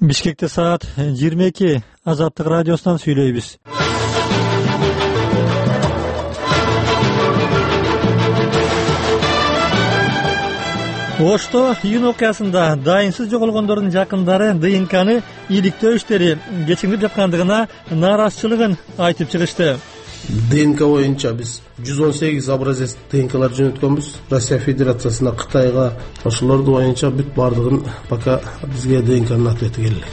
Бишкекте саат 22. Азаттык радиосунан сүйлөйбүз. Ошто июнь окуясында дайынсыз жоголгондордун жакындары ДНКны иликтөө иштери кечиңип жаткандыгына нааразычылыгын айтып чыгышты. ДНК боюнча биз 118 образец ДНКлар жөнөткөнбүз Россия Федерациясына, Кытайга. Ошолорду боюнча бүт бардыгын пока бизге ДНКнын ответи келе элек.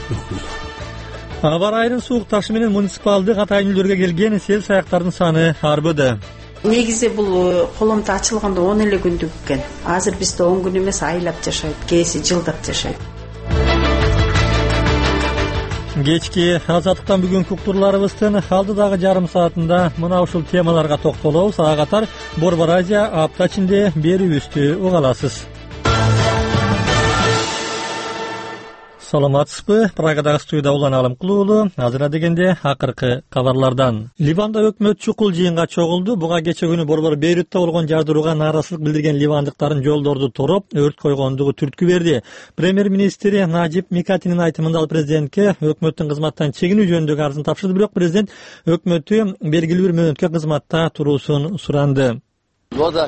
Аба ырайынын суукташы менен муниципалдык атайын келген сел саяктардын саны арбыды. Негизи бул коломто ачылганда 10 эле күндүк экен. Азыр бизде 10 күн эмес, айлап жашайт, кээси жылдап жашайт. Кечки азаттыктан бүгүнкү уктурларыбыздын алдыдагы жарым саатында мына ушул темаларга токтолобуз. Ага катар Борбор Азия апта ичинде берүүбүздү уга аласыз. Саламатсызбы? Прагадагы студияда Улан Алымкулуулу. Азыр дегенде акыркы кабарлардан. Ливанда өкмөт чукул жыйынга чогулду. Буга кече күнү борбор Бейрутта болгон жардырууга нааразычылык билдирген ливандыктардын жолдорду тороп, өрт койгондугу түрткү берди. Премьер-министри Наджиб Микатинин айтымында ал президентке өкмөттүн кызматтан чегинүү жөнүндөгү арызын тапшырды, бирок президент өкмөттү белгилүү бир мөөнөткө кызматта туруусун суранды. Кырдаал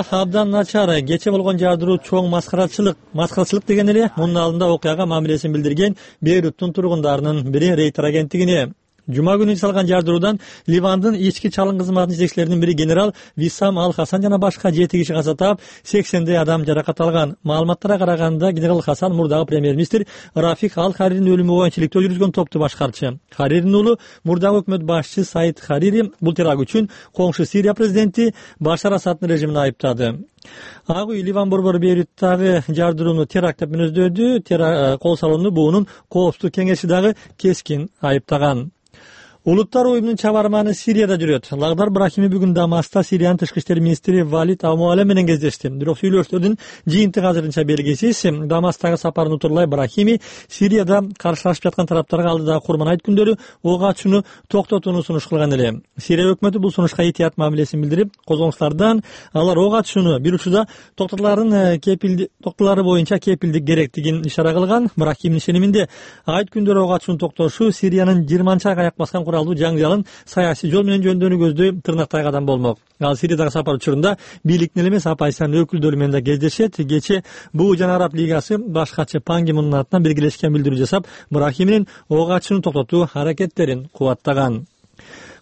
абдан начар. Кече болгон жардыруу чоң маскарачылык деген эле мунун алдында окуяга мамилесин билдирген Бейруттун тургундарынын бири Рейтер агенттигине. Жума күнү жасалган жардыруудан Ливандын ички чалым кызматынын жетекчилеринин бири генерал Виссам Ал-Хасан жана башка 7 киши каза таап, 80 адам жаракат алган. Маалыматтарга караганда генерал Хасан мурдагы премьер-министр Рафик Ал-Хариринин өлүмү боюнча иликтөө жүргүзгөн топту башкарчы. Хариринин уулу мурдагы өкмөт башчысы Саид Харири бул теракт үчүн коңшу Сирия президенти Башар Асаддын режимин айыптады. Ак үй Ливан борбору Бейруттагы жардырууну теракт деп мүнөздөдү. Кол салууну буунун коопсуздук кеңеши дагы кескин айыптаган. Улуттар уюмунун чабарманы Сирияда жүрөт. Лагдар Брахими бүгүн Дамаста Сириянын тышкы иштер министри Валид Амуале менен кездешти. Бирок сүйлөшүүлөрдүн жыйынтыгы азырынча белгисиз. Дамастагы сапарын утурлай Брахими Сирияда каршылашып жаткан тараптарга алдыдагы Курман айт күндөрү ок ачууну токтотууну сунуш кылган эле. Сирия өкмөтү бул сунушка этият мамилесин билдирип, козгонуштардан алар ок ачууну бир учурда токтолары боюнча кепилдик керектигин ишара кылган. Брахимдин ишениминде айт күндөрү ок ачууну токтошу Сириянын 20 айга аяк баскан жаңжалын саясий жол менен жөндөөнү көздөй тырнактай кадам болмок. Ал Сириядагы сапар учурунда бийликтин эле эмес оппозициянын өкүлдөрү менен да кездешет. Кече БУ жана Араб лигасы башкачы Пан Ги Мундун атынан биргелешкен билдирүү жасап, Брахиминин ок ачууну токтотуу аракеттерин кубаттаган.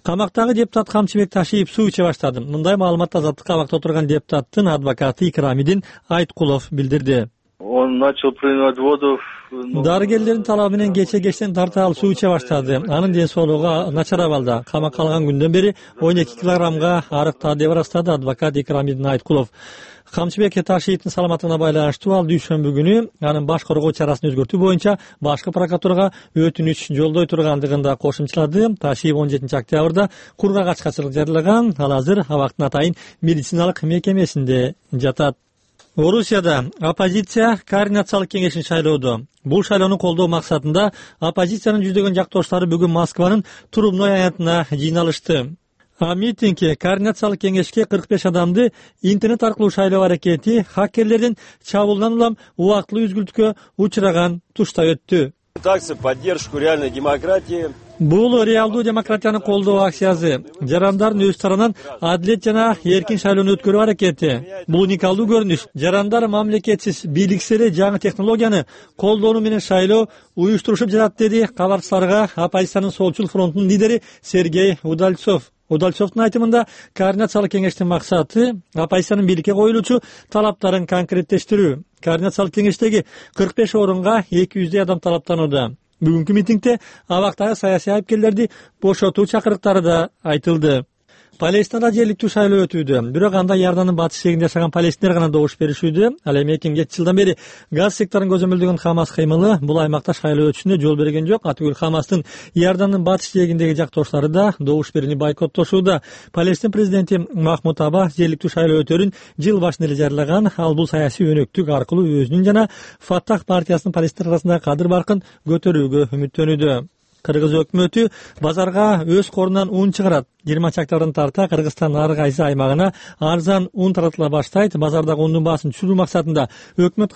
Камактагы депутат Камчыбек Ташиев суу иче баштады. Мындай маалыматты Азаттыкка абакта отурган депутаттын адвокаты Икрамидин Айткулов билдирди. Он начал принимать воду. Дарыгерлердин талабы менен кечтен тарта алып суу иче баштады. Анын ден соолугу начар абалда. Камакка алган күндөн бери 12 килограммга арыктады деп ырастады адвокат Икрамидин Айткулов. Камчыбек Ташиевдин саламаттыгына байланыштуу ал дүйшөмбү күнү анын баш коргоо чарасын өзгөртүү боюнча башкы прокуратурага өтүнүч жолдой тургандыгын да кошумчалады. Ташиев 17 октябрда кургагачкачылык жарыялаган. Ал азыр абактын атайын медициналык мекемесинде жатат. Орусияда оппозиция координациялык кеңешин шайлоодо. Бул шайлоону колдоо максатында оппозициянын жүздөгөн жактоштары бүгүн Москванын Трубной аянтына жыйналышты. Митингге координациялык кеңешке 45 адамды интернет аркылуу шайлоо аракети хакерлердин чабуулунан улам убактылуу үзгүлтүккө учураган тушта өттү. Акция поддержку реальной демократии. Бул реалдуу демократияны колдоо акциясы. Жарандардын өз тарабынан адилет жана эркин шайлоону өткөрүү аракети. Бул уникалдуу көрүнүш. Жарандар мамлекетсиз, бийликсиз эле жаңы технологияны колдонуу менен шайлоо уюштурушуп жатат, деди кабарчыларга оппозициянын Солчул фронтунун лидери Сергей Удальцов. Удальцовдун айтымында координациялык кеңештин максаты оппозициянын бийликке коюлуучу талаптарын конкреттештирүү. Координациялык кеңештеги 45 орунга 200 адам талаптанууда. Бүгүнкү митингде абактагы саясий айыпкерлерди бошотуу чакырыктары да айтылды. Палестинада жергиликтүү шайлоо өтүүдө. Бирок анда Иордандын батыш жээгинде жашаган палестинер гана добуш беришүүдө. Ал эми 2 жылдан бери газ секторун көзөмөлдөгөн Хамас кыймылы бул аймакта шайлоо өтүшүнө жол берген жок. Атүгүл Хамастын Иордандын батыш жээгиндеги жактоштары да добуш берүүнү бойкоттошууда. Палестин президенти Махмуд Аббас жергиликтүү шайлоо өтөөрүн жыл башында эле жарыялаган. Ал бул саясий өнөктүк аркылуу өзүнүн жана Фаттах партиясынын палестин арасындагы кадыр баркын көтөрүүгө үмүттөнүүдө. Кыргыз өкмөтү базарга өз корунан ун чыгарат. 20 октябрдан тарта Кыргызстандын ар кайсы аймагына арзан ун таратыла баштайт. Базардагы ундун баасын түшүрүү максатында өкмөт